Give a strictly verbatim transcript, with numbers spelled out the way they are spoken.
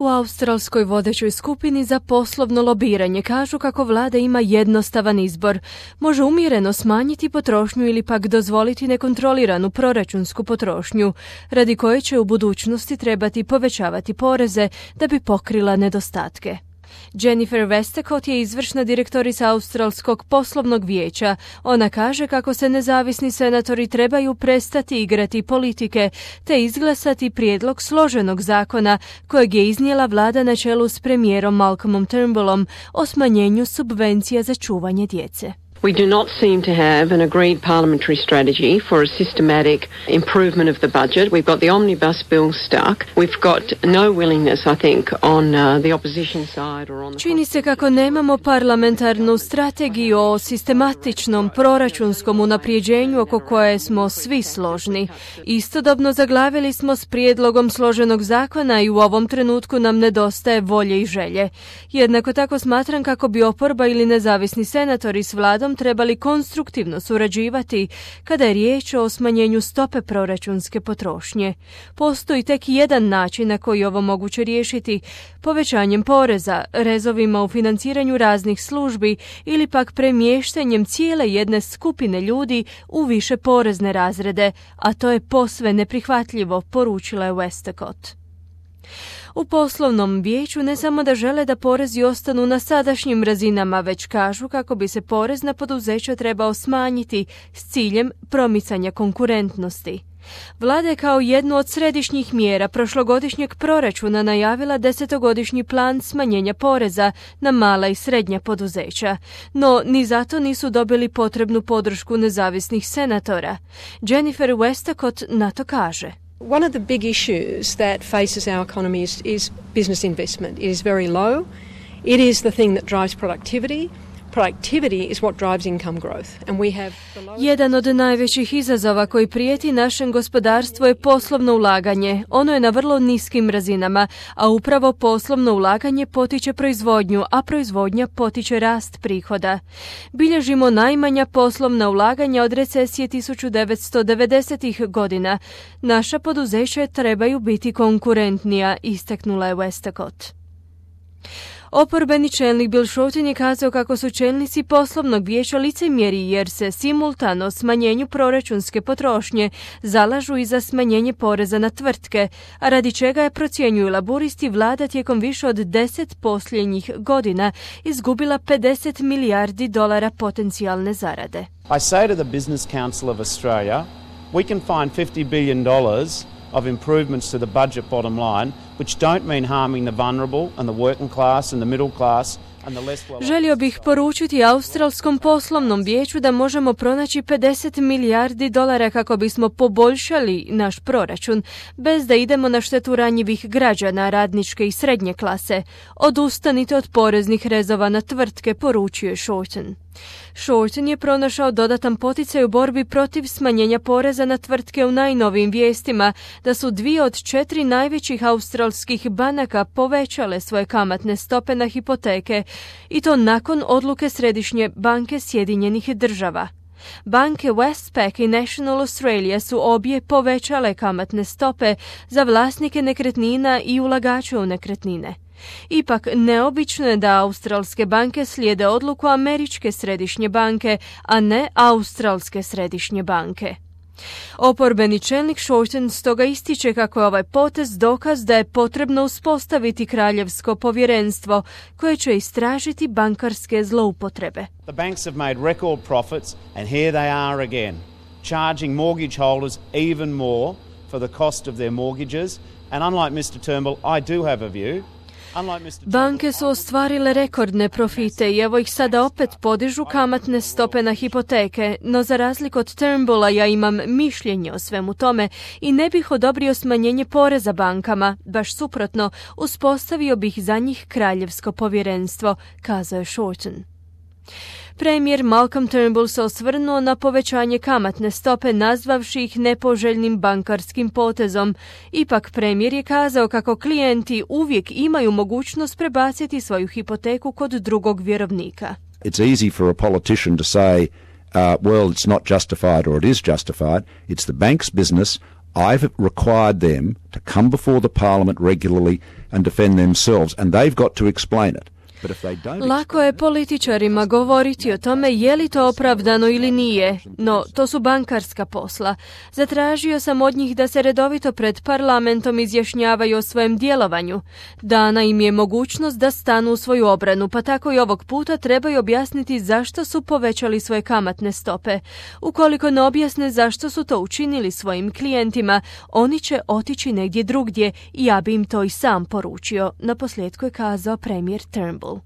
U australskoj vodećoj skupini za poslovno lobiranje kažu kako vlada ima jednostavan izbor. Može umjereno smanjiti potrošnju ili pak dozvoliti nekontroliranu proračunsku potrošnju, radi koje će u budućnosti trebati povećavati poreze da bi pokrila nedostatke. Jennifer Westacott je izvršna direktorica Australskog poslovnog vijeća. Ona kaže kako se nezavisni senatori trebaju prestati igrati politike te izglasati prijedlog složenog zakona kojeg je iznijela vlada na čelu s premijerom Malcolmom Turnbullom o smanjenju subvencija za čuvanje djece. We do not seem to have an agreed parliamentary strategy for a systematic improvement of the budget. We've got the omnibus bill stuck. We've got no willingness, I think, on uh, the opposition side or on the... Čini se kako nemamo parlamentarnu strategiju o sistematičnom proračunskom unaprijeđenju oko koje smo svi složni. Istodobno zaglavili smo s prijedlogom složenog zakona i u ovom trenutku nam nedostaje volje i želje. Jednako tako smatram kako bi oporba ili nezavisni senatori s vladom trebali konstruktivno surađivati kada je riječ o smanjenju stope proračunske potrošnje. Postoji tek jedan način na koji ovo moguće riješiti, povećanjem poreza, rezovima u financiranju raznih službi ili pak premještanjem cijele jedne skupine ljudi u više porezne razrede, a to je posve neprihvatljivo, poručila je Westacott. U poslovnom vijeću ne samo da žele da porezi ostanu na sadašnjim razinama, već kažu kako bi se porez na poduzeća trebao smanjiti s ciljem promicanja konkurentnosti. Vlada je kao jednu od središnjih mjera prošlogodišnjeg proračuna najavila desetogodišnji plan smanjenja poreza na mala i srednja poduzeća, no ni zato nisu dobili potrebnu podršku nezavisnih senatora. Jennifer Westacott na to kaže. One of the big issues that faces our economy is, is business investment. It is very low. It is the thing that drives productivity. Productivity is what drives income growth. And we have the lowest... Jedan od najvećih izazova koji prijeti našem gospodarstvu je poslovno ulaganje. Ono je na vrlo niskim razinama, a upravo poslovno ulaganje potiče proizvodnju, a proizvodnja potiče rast prihoda. Bilježimo najmanja poslovna ulaganja od recesije tisuću devetsto devedesetih godina. Naša poduzeća trebaju biti konkurentnija, istaknula je Westacott. Oporbeni čelnik Bill Shorten je kazao kako su čelnici poslovnog vijeća licemjeri jer se simultano smanjenju proračunske potrošnje zalažu i za smanjenje poreza na tvrtke, a radi čega je, procjenjuju laburisti, vlada tijekom više od deset posljednjih godina izgubila pedeset milijardi dolara potencijalne zarade. I say to the Business Council of Australia, we can find fifty billion dollars of improvements to the budget bottom line, which don't mean harming the vulnerable and the working class and the middle class and the less well... Želio bih poručiti Australskom poslovnom vijeću da možemo pronaći pedeset milijardi dolara kako bismo poboljšali naš proračun, bez da idemo na štetu ranjivih građana, radničke i srednje klase. Odustanite od poreznih rezova na tvrtke, poručio je Shorten. Shorten je pronašao dodatan poticaj u borbi protiv smanjenja poreza na tvrtke u najnovijim vijestima da su dvije od četiri najvećih australskih banaka povećale svoje kamatne stope na hipoteke i to nakon odluke Središnje banke Sjedinjenih država. Banke Westpac i National Australia su obje povećale kamatne stope za vlasnike nekretnina i ulagače u nekretnine. Ipak, neobično je da australske banke slijede odluku Američke središnje banke, a ne Australske središnje banke. Oporbeni čelnik Shorten stoga ističe kako je ovaj potez dokaz da je potrebno uspostaviti kraljevsko povjerenstvo koje će istražiti bankarske zloupotrebe. The banks have made record profits and here they are again, charging mortgage holders even more for the cost of their mortgages, and unlike mister Turnbull, I do have a view. Banke su ostvarile rekordne profite i evo ih sada opet podižu kamatne stope na hipoteke, no za razliku od Turnbulla ja imam mišljenje o svemu tome i ne bih odobrio smanjenje poreza bankama, baš suprotno, uspostavio bih za njih kraljevsko povjerenstvo, kazao je Shorten. Premijer Malcolm Turnbull se osvrnuo na povećanje kamatne stope nazvavši ih nepoželjnim bankarskim potezom. Ipak premijer je kazao kako klijenti uvijek imaju mogućnost prebaciti svoju hipoteku kod drugog vjerovnika. It's easy for a politician to say, uh, well, it's not justified or it is justified. It's the bank's business. I've required them to come before the Parliament regularly and defend themselves, and they've got to explain it. But if they don't... Lako je političarima govoriti o tome je li to opravdano ili nije, no to su bankarska posla. Zatražio sam od njih da se redovito pred parlamentom izjašnjavaju o svojem djelovanju. Dana im je mogućnost da stanu u svoju obranu, pa tako i ovog puta trebaju objasniti zašto su povećali svoje kamatne stope. Ukoliko ne objasne zašto su to učinili svojim klijentima, oni će otići negdje drugdje i ja bi im to i sam poručio, naposljetku je kazao premijer Turnbull.